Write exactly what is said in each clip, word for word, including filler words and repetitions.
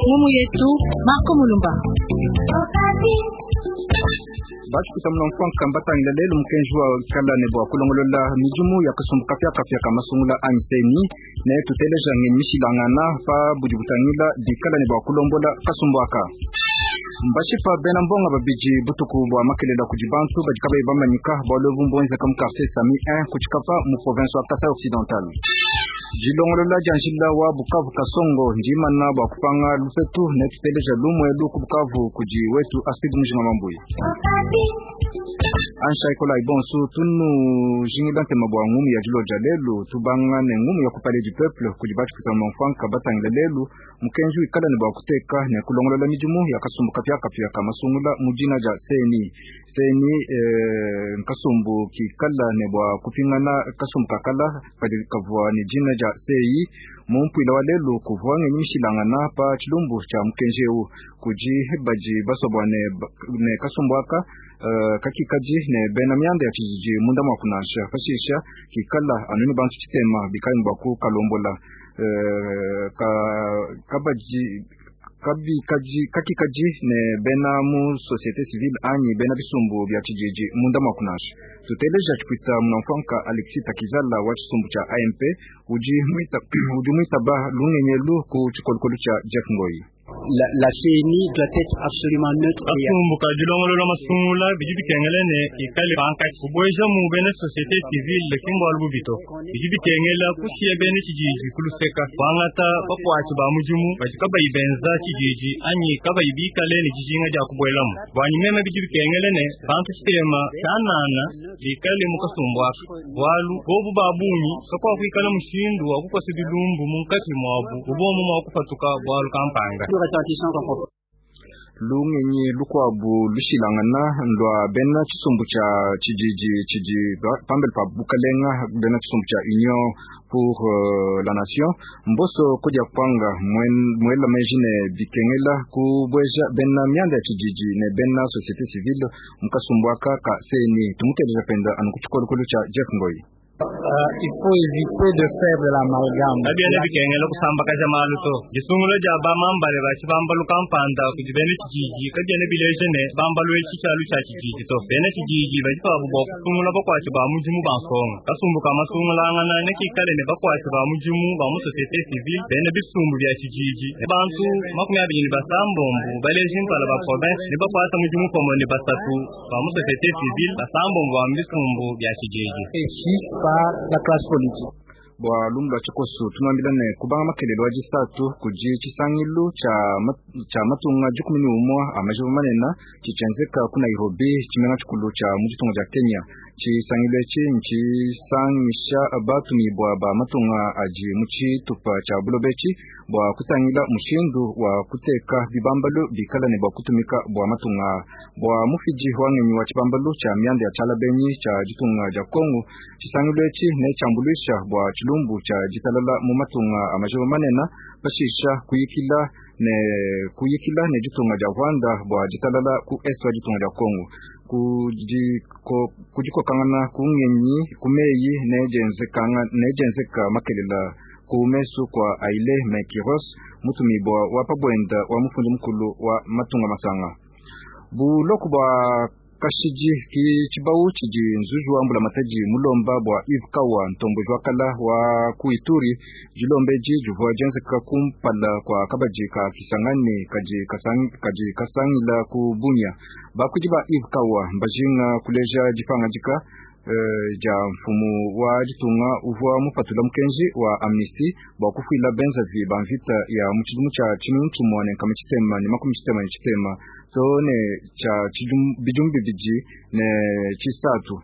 Ngumu yetu Marco Mulumba. Bashikuta mula mbatangila lelo mukenji wa kala ne bwa kulongolola midimu ya kasumbu kapiakapia ka masungula anyi C E N I ne tuteleja ngenyi mishilangana pa budi butangila dikala ne bwa kulombola kasumbu aka. Mbashipa bena mbonga babidi butuku bwa makelela kudi bantu badi kabayi bamanyika bwalu ebu mbwenzeka mu quartier Sami un ku Tshikapa mu province wa Kasai Occidental. Dilongolola dia njila wa Bukavu Kasongo ndimana bwa kupanga lupetu ne tuteleja lumwelu ku Bukavu kudi wetu Astrid Mujinga Mambuyi. Ansha ikola ibonsu tunu jingila ntema bwa ngumu ya dilo dia lelu tubanga ne ngumu ya ku Palais du Peuple kudi bashikuta mfanka batangila lelu mukenji wikala ne bwa kuteka ne kulongolola midimu ya kasumbu kapiakapia ka masungula mu dina dia C E N I. C E N I eh, nkasumbu kikala ne bwa kupingana kasumbu kakala kadi kavua ne dina dia C E I. Mu mpwila wa lelu kuvua ngenyi mishilangana pa tshilumbu tshia mukenji eu kudi badi basobwa ne, ne kasumbu aka uh, kakikadi ne bena mianda ya tshijiji munda mua kunansha pashisha kikala anu ne bantu tshitema bikali bua kukalombola uh, ka, kabaji kabikaji kakikaji ne bena mu société civile anyi bena bisumbu bya tshijiji munda mua kunansha. Tuteleja tshipita munamfanka Alexis Takizala wa tshisumbu tshia A M P udi mwita udi mwitaba lungenyelu ku tshikolokolo tshia Jeff Ngoi. La, la C E N I doit être absolument neutre. Kasumbu ka dilongolola masungula bidi bikengela ne ikale pankatshi kubweja mu bena société civile ki mbwalu bubito bidi bikengela kushiya bena tshijiji kuluseka kwangata bakwatshi ba mudimu badi kabayi benza tshijiji anyi kabayi bikale ne dijinga dia kubwelamu. Bwanyi meme bidi bikengela ne bantu tshitema tshianana bikale mu kasumbu aka bwalu bobu ba bungi kakuakuikala mushindu wa kukosa bilumbu munkatshi mwabu bubomu mwa kupatuka bwalu kampanga. Lungenyi lukwabu lushilangana lwa bena tshisumbu tshia tshijiji tshidi pambele pa bukalenga, bena tshisumbu tshia Union pour euh, la Nation. Mboso kudia kwanga mwela meji ne bikengela kubweja bena mianda ya tshijiji ne bena société civile mu kasumbu aka ka C E N I. Tumuteleja penda anu ku tshikolokolo tshia Jeff Ngoi. Uh, il faut éviter de faire de l'amalgame. Kabiena bikengela kusambakaja malu to. Disungula dia bamambale ba tshibambalu kampanda kudi bena tshijiji kabiena bileja ne bambalu etshi tshialu tshia tshijiji to. Bena tshijiji badi pabu bua kusungula bakwatshi ba mudimu ba nsonga. Kasumbu ka masungulangana ne kikale ne bakwatshi ba mudimu ba mu société civile, bena bisumbu bia tshijiji ne bantu makumi abidi ne basambombo baleji mpala ba province ne bakwata mudimu pamue ne basatu ba mu société civile, basambombo ba mu bisumbu bia tshijiji. Et par la classe politique. Bwa lumu lwa tshikoso tunwambila ne kubanga makelelo wa disatu kudi tshisangilu tsha matunga dikumi ne umwa a majiba manene tshitshienzeka ku Nairobi, tshimenga tshikulu tshia mu ditunga dia Kenya. Tshisangilu etshi ntshisangisha batumibua ba matunga adi mu tshitupa tshia buloba etshi bua kutangila mushindu wa kuteka bibambalu bikala ne bua kutumika bua matunga. Bua mufidi wa ngenyi wa tshibambalu tshia mianda ya tshialabenyi tshia ditunga dia Kongo, tshisangilu etshi ne tshiambuluisha bua tshilumbu tshia ditalala mu matunga a majiba manene, pashisha kuyikila ne kuyikila ne ditunga dia Rwanda bua ditalala ku est wa ditunga dia Kongo. Kudikokangana ku ngenyi ku meyi ne dienzeka makelela ku mesu kwa Haile Mekiros, mutumibua wa pabwenda wa mufundi mukulu wa matunga masanga. Buloko bua kashidi ki tshibawu tshidi nzuji wa mbulamatadi mulomba bua Yves Kawa, ntomboji wa kala wa ku Ituri. Dilomba edi divua dienzeka kumpala kua kabadi ka Kisangani kadi kasang, kadi kasangila ku Bunia. Bakuidi ba Yves Kawa mbajinga kuleja dipangadika uh, dia mfumu wa ditunga uvua mupatula mukenji wa amnistie bua kufuila benzavi ba mvita ya mu tshidimu tshia tshinunu tshimue ne nkama tshitema ne makumi tshitema ne tshitema to ne tshia bidimu bibidi ne tshisatu.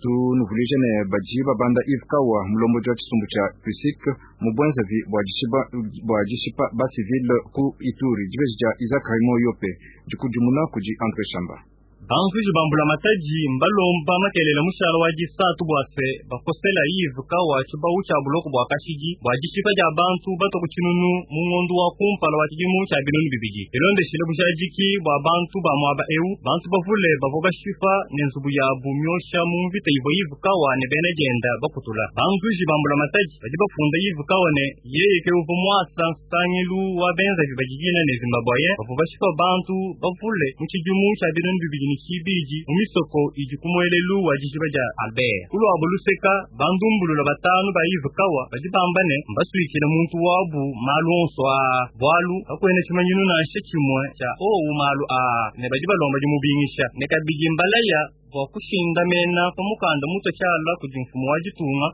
Tunuvuluije ne badi babanda Yves Kawa, mulombodi wa tshisumbu tshia PUSIC, mu bwenzavi bua dishipa ba civile ku Ituri. Dibeji dia Isaac Raymond Yope dikudimuna kudi Andre Shamba. Banzuji bambula mataji mbalomba makelela mushala wa disatu bua se bakosela Yves Kawa tshibawu tshia buloko bua kashidi bua dishipa dia bantu batwa ku tshinunu mu ngondo wa kumpala wa tshidimu tshia binunu bibidi. Bilondeshile bujadiki bua bantu ba muaba eu, bantu bavule bavua bashipa ne nzubu yabu myosha mu mvita ivua Yves Kawa ne bena dienda bakutula. Banzuji bambula mataji badi bafunda Yves Kawa ne yeye ke uvua muasa nsangilu wa benzavi badidina ne Zimbabwe bavua bashipa bantu bavule mu tshidimu tshia binunu bibidi ne tshibidi mu misoko idi ku muelelu wa dijiba dia Albert. Kulwabo luseka bandumbulula batanu ba Yves Kawa badi bamba ne mbasuikile muntu wabu malu onso aa bualu kakwena tshimanyinu nansha tshimue tshia owu malu aa ne badi balomba dimubingisha ne kabidi mbalaya bua kushindamena pa mukanda mutue tshiala kudi mfumu wa ditunga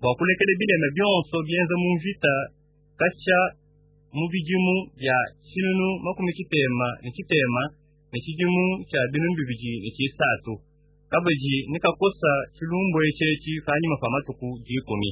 bua kulekela bilema bionso bienza mu mvita katshia mu bidimu bia tshinunu makumi tshitema ne tshitema ne tshidimu tshia binunu bibidi ne tshisatu kabidi ne kakosa tshilumbu etshi panyima pa matuku dikumi.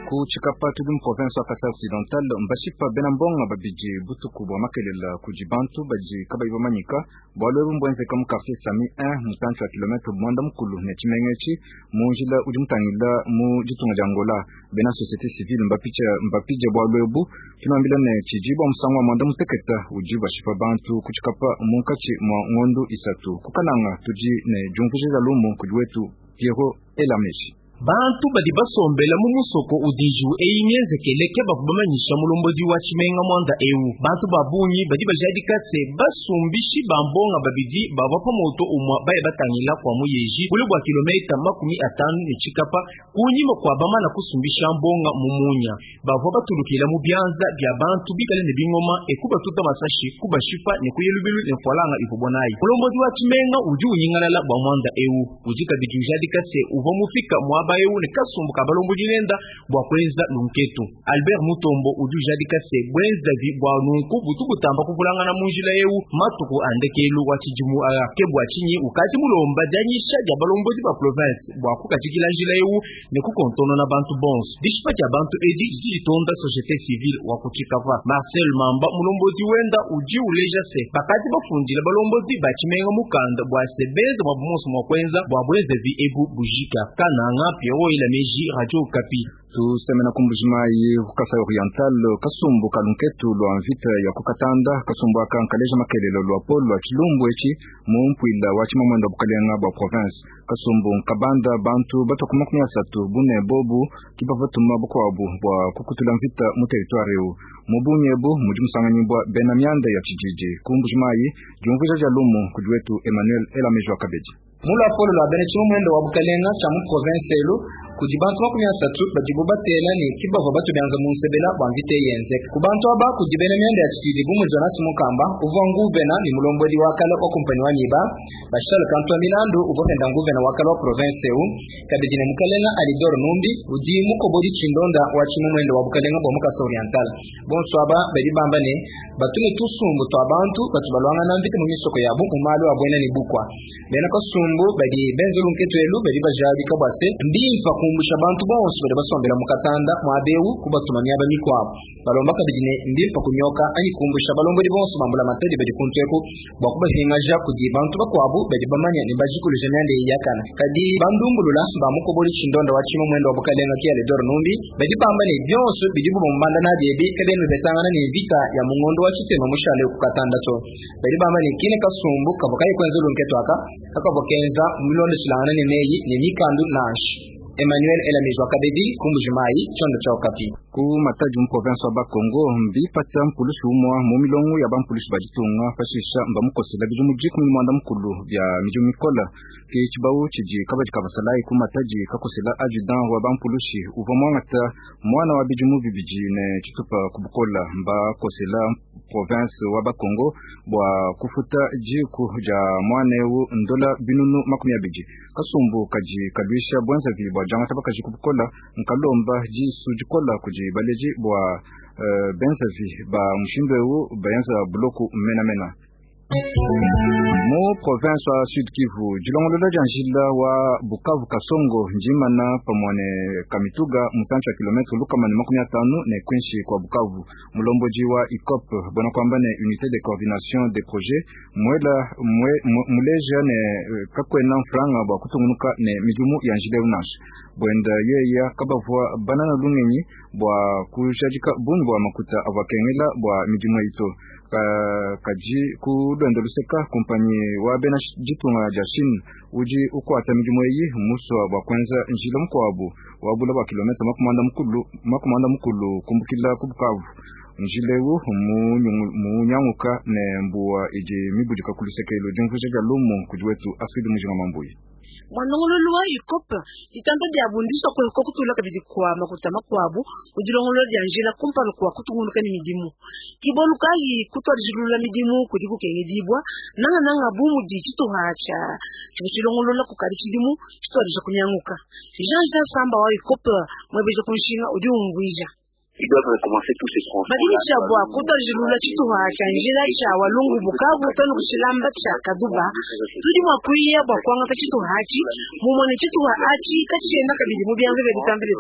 Ku Tshikapa tudi mu province wa Kasai Occidental mbashipa bena mbonga babidi butuku bua makelela kudi bantu badi kabayi bamanyika bualu ebu mbuenzeka mu quartier Sami un mutantshi wa kilometre mwanda mukulu ne tshimenga etshi mu njila udi mutangila mu ditunga dia Angola. Bena société civile mbapitsha mbapidie bualu ebu tunuambila ne tshidi bua musangu wa mwanda muteketa udi bashipa bantu ku Tshikapa munkatshi mua ngondu isatu. Kukananga tudi ne diumvuija lumu kudi wetu Pierrot Elameji. Bantu badi basombela mu musoko udiju eyi mienzekele ke bavua bamanyisha mulombodi wa tshimenga mwanda eu. Bantu ba bungi badi bajadika se basumbishi ba mbonga babidi bavua pa moto umua baye batangila kwa muyeji bule bua kilomita makumi atanu ne tshikapa kunyima kwa bamana kusumbisha mbonga mu munya. Bavua batulukila mu bianza bia bantu bikale ne bingoma ekubatuta masashi kubashipa ne kuyelubilu ne mfualanga ivua nayi. Mulombodi wa tshimenga udi unyingalala bua mwanda eu udi kabidi ujadika se uvua mufika mwa bayo ne kasumbu ka balombodi nenda bua kuenza lunketu. Albert Mutombo udi ujadika se bwenza vi bua nunku butu butamba kuvulangana mu njila eu matuku andekelu wa tshidimu aya ke bua tshinyi ukati mulomba dianyisha dia balombodi ba province bua kukatshikila njila eu ne kukontonona bantu bonso. Dishipa dia bantu edi didi ditonda société civile wa ku Tshikapa. Marcel Mamba mulombodi wenda udi uleja se bakati bafundile balombodi ba tshimenga mukanda bua se benza bua bumonso mua kuenza bua bwenza vi ebu bujika. Kananga Pierrot Elameji, Radio Okapi. Tusemena kumbujimayi ku Kasai Oriental kasumbu kalunketu lwa mvita ya kukatanda kasumbu aka nkaleja makelelo lwa polo lwa tshilumbu etshi mu mpuila wa tshimamwenda bukalenga bua province. Kasumbu nkabanda bantu batwa ku makumi asatu bune bobu kibavatuma bukuabu bua kukutula mvita mu territoire eu. Mu bungi ebu mudi musanganyibwa bena mianda ya tshijiji. Kumbujimayi diumvuija dia lumu kudi wetu Emmanuel Elameji wa Kabedi. Mula polo lwa bena tshimamwenda wa bukalenga tshia mu province elu kudi bantu makumi asatu badibo batela ne kibavua batu bianza mu nsebela bua mvita yenzeka. Ku bantu aba kudi bena mianda ya tshididi bu mudi Jonas Mukamba uvua nguvena ne mulombodi wa kala wa kumpani wa Miba, Bashal Kantua Milandu uvua penda nguvena wa kala wa province eu, kabidi ne mukalenga Alidor Numbi udi mukobodi tshindonda wa tshimamwenda wa bukalenga bua mu Kasai Oriental. Bonso aba badi bamba ne batune tusumbu twa bantu batu balwangana mvita mu misoko yabu mu malu a buena ne bukwa. Bena kasumbu badi benza lunketu elu badi bajadika bua se mbimpa kumbusha bantu bonso badi basombela mu Katanda muaba eu kubatuma miaba mikuabu. Balomba kabidi ne mbimpa kunyoka anyi kumbusha balombodi bonso bambula matadi badi kuntueku bua kubahingaja kudi bantu bakuabu badi bamanya ne bajikuluja mianda eyi yakana. Kadi bandumbulula ba mukoboli tshindonda wa tshimamwenda wa bukalenga ki Alidor Numbi badi bamba ne bionso bidibu bamubanda nabi ebi kabena bipetangana ne mvita ya mungondo wa tshitema mushale ku Katanda to. Badi bamba ne kine kasumbu kavua kayi kuenza lunketu aka kakavua kenza mulondeshilangana ne meyi ne mikandu nansha. Emmanuel Elameji wa Kabedi, Kumbujimayi, Tshiondo tshia Okapi. Ku Matadi mu province wa Bakongo mbipata mpulushi umua mu milongo ya bampulushi ba ditunga pashisha mbamukosela bidimu dikumi ne muanda mukulu bia midimu mikola. Ke tshibawu tshidi kabadi kabasalayi ku Matadi kakosela adjudant wa bampulushi uvua muangata mwana wa bidimu bibidi ne tshitupa ku bukola. Mbakosela province wa Bakongo bua kufuta diku dia mwana eu ndola binunu makumi abidi. Kasumbu kadi kaluisha bwenzavi bua diangata bakaji ku bukola nkalomba disu dikola kudi baleji bua uh, benzavi ba mushindu eu bayenza buloku menamena. Mu province wa Sud Kivu dilongolola dia njila wa Bukavu Kasongo njimana pamwe ne Kamituga mutantshi wa kilometre lukama ne makumi atanu ne kwinshi kwa Bukavu. Mulomboji wa ICOP bona kwamba ne unité de coordination des projets mwela mwe, muleja ne kakwena mfranga bwa kutungunuka ne midimu ya njila unasha bwenda yeya kabavwa banana lungenyi bwa kujadika bungi bwa makuta avwakengela bwa midimu ito ka, kaji ku lwendo luseka kumpanyi wa bena ditunga dia Chine udi ukwata midimu eyi muswa bwa kwenza njila mukuabu wabula bwa kilometre makumanda mukulu makumanda mukulu kumbukila ku Bukavu. Njila eu munyanguka ne mbuwa idi mibudika ku lusekelo diumvuija dia lumu kudi wetu Asidi Mujinga Mambuyi. Mwanongololo wa ICOP ditanda dia bundisha kuheka kutula kabidi kwa makuta makuabu kudilongolola dia njila kumpala kwa kutunguluka ni midimu kibolu kayi kutwalijilula midimu kudi kukengedibwa nanga nanga bumu di tshituha tsha tshilongolola kukali tshidimu tshitwalija kunyanguka. Jean Jean Samba wa ICOP mwebeja kunshinga udi umvuija. Ils doivent recommencer tous ces tronçons. Badilisha bwa kutwalijilula tshituha tsha njila tsha walungu Bukavu tonu kushilamba tsha Kaduba tudi mwa kuiya bwa kwangata tshituha atshi mumone tshituha atshi katshienda kabidi mu bianza bia ditamba bia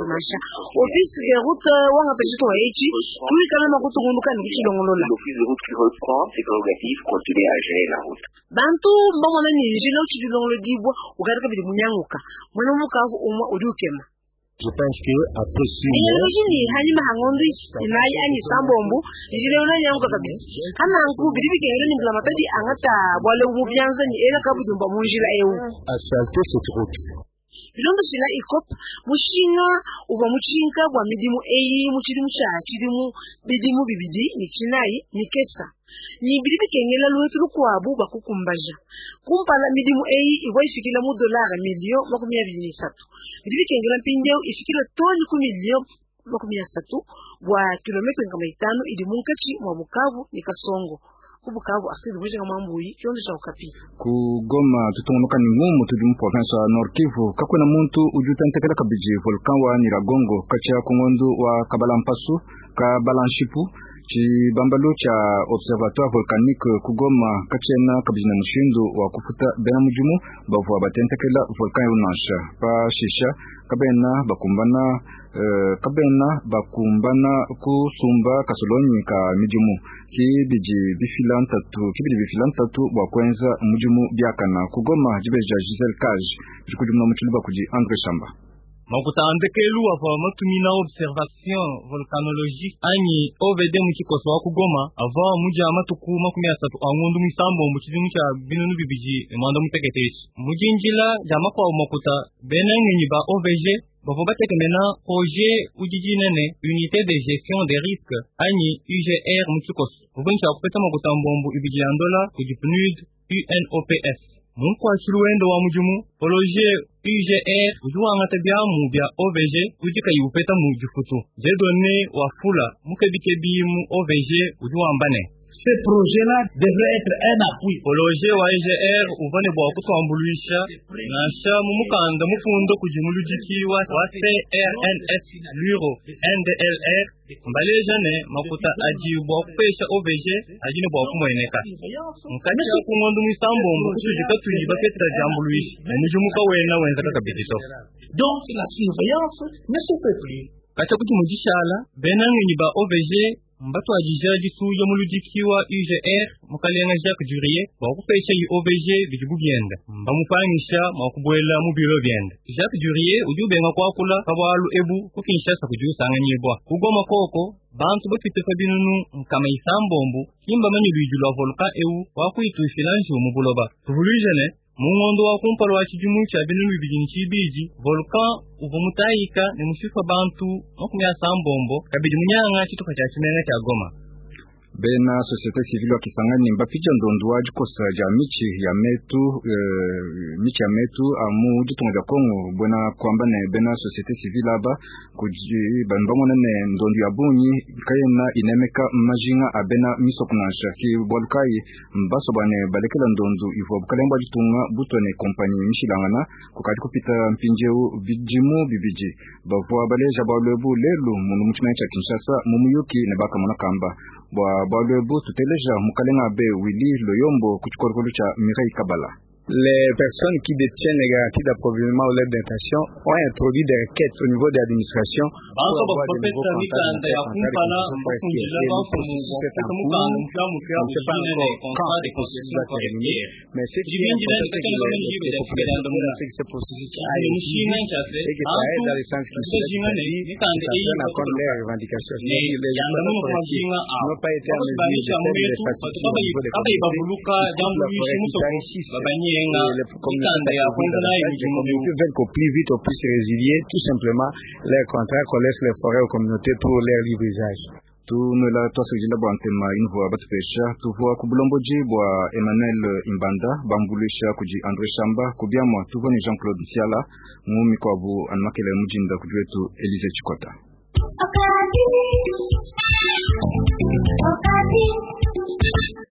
office de route wangata tshituha etshi tuikala mwa kutungunuka ne kutshilongolola. L'office de route qui reprend ses prérogatives continue à gérer la route. Bantu mbamona ni njila utshilongolodibwa ukati kabidi munyanguka mwene Bukavu umwa udi ukema. Je pense que après six mois, Enyelojini hanyuma hangondi inayi anyi sambombu njile unanyanguka kabisa hananku bidi bikengele ni mbulamatadi angata bwale mu byanza ni ela kabudumba mu njila eu asphalter cette route. Bilondo shila ICOP mushinga uva mutshinka bwa midimu eyi mu tshidimu tsha tshidimu bidimu bibidi ni tshinayi ni kesa ni bidi bikengela lwetu lukuabu bakukumbaja kumpala midimu eyi ivwa ifikila mu dolara milio makumi abili ni isatu bidi bikengela mpindieu ifikila toni ku milio makumi asatu bwa kilometre nkama itanu idi munkatshi mwa Bukavu ni Kasongo. Ku Bukavu Asidi Mujinga Mambuyi kiondo cha Okapi. Ku Goma tutungunuka ni ngumu tudi mu province ya Nord Kivu kakwena muntu udi utentekela kabidi volcan wa Nyiragongo katshia ku ngondu wa Kabalampasu Kabalanshipu tshibambalu tsha observatoire volcanique ku Goma katshiena kabidi na mushindu wa kufuta bena mudimu bavua batentekela volcan eu nansha pashisha kabena bakumbana uh, kabena bakumbana kusumba kasolonyi ka midimu kibidi bifila ntatu kibidi bifila ntatu bua kuenza mudimu biakana ku Goma dibeja Giselle Cage dikudimuna mu tshiluba kudi André Chamba. Makuta andekelu avua matumina observation volcanologique anyi O V D mu tshikoso wa ku Goma avua mudia matuku makumi asatu a ngondu misambombo tshidimu tsha binunu bibidi ne muanda mutekete etshi mudinjila dia makuabu makuta bena ngenyi ba O V G bavua batekemena projet udi dinene unité de gestion des risques anyi U G R mu tshikoso uvua ntshia kupeta makuta mbombo ibidi ya ndola kudi P N U D U N O P S. Munkwashilu wendo wa mudimu projet U G R udi wangata biamu bia O V G udi kayi upeta mu difutu Dieudonné Wafula mukebikebi mu O V G udi wamba ne Ce projet-là devrait être un appui. Projet wa U G R uvua ne bua kutuambuluisha nansha mu mukanda mufundo kudi muludiki wa C R N S Luro N D L R mbaleja ne makuta adi bua kupesha O V G adi ne bua kumueneka nkatshia ku ngondu muisambombo kutudi katuyi bapetela diambuluisha ne mudimu kawena wenzeka kabidi to. Donc la surveillance ne se fait plus. Katshia kudi mudishala bena ngenyi ba O V G mbatwadija disuja muludiki wa U G R mukalenga Jacques Durier bua kupesha i O V G bidibu bienda mbamupangisha mua kubuela mu biro bienda. Jacques Durier udi ubenga kuakula pa bualu ebu ku Kinshasa kudi usanganyibwa ku Goma koko bantu bapite pa binunu nkama isambombo kimba manyi luidi lua volcan eu wakuitushila njiwu mu buloba. Tuvuluije ne mu ngondo wa kumpala wa tshidimu tshia binunu bibidi ne tshibidi volcan uvua mutayika ne mushipa bantu makumi asambombo kabidi munyanga tshitupa tshia tshimenga tshia Goma. Bena société civile wa Kisangani mbapija ndondu wa dikosa dia michi ya metu uh, michi ya metu amu ditunga dia Kongo bwena kwamba ne bena société civile aba kudi banbamona ne ndondu ya bungi kayena inemeka majinga a bena misoko nansha ki bwalu kayi mbaso bwane balekela ndondu ivua bukalenga bwa ditunga butwa ne kompanyi mishilangana kukadi kupita mpindieu bidimu bibidi bavua baleja bwalu ebu lelu munu mu tshimenga tshia Kinshasa mu muyuki ne bakamona kamba Bua bualu ebu tuteleja mukalenga be Willy Loyombo ku tshikolokolo tshia Mireille Kabala. Les personnes qui détiennent les garanties d'approvisionnement ou l'aide d'intention ont introduit des requêtes au niveau de l'administration pour avoir de nouveaux contrats de forestière. Et le processus est en cours. On ne sait pas encore quand ce processus va terminer, mais ce qui est important, c'est que les, les populations connaissent que ce processus a été et que ça aide dans le sens qu'ils souhaitent, c'est-à-dire que ça donne en compte leurs revendications. C'est-à-dire que les exploitants forestiers n'ont pas été en mesure de faire les facilités au niveau des communautés, ils coupent la forêt, ils s'enrichissent. Les communautés, les communautés veulent qu'au plus vite on puisse résilier tout simplement leur contrat, qu'on laisse les forêts aux communautés pour leur libre usage. Tunwela twasujila bua ntema invua batupesha tuvua ku bulomboji bua Emmanuel Imbanda bambuluisha kudi André Shamba kubiamua tuvua ni Jean-Claude Nsiala mu mikwabu anumakele mujinda kudi wetu Elise Chikota. Okapi. Okapi.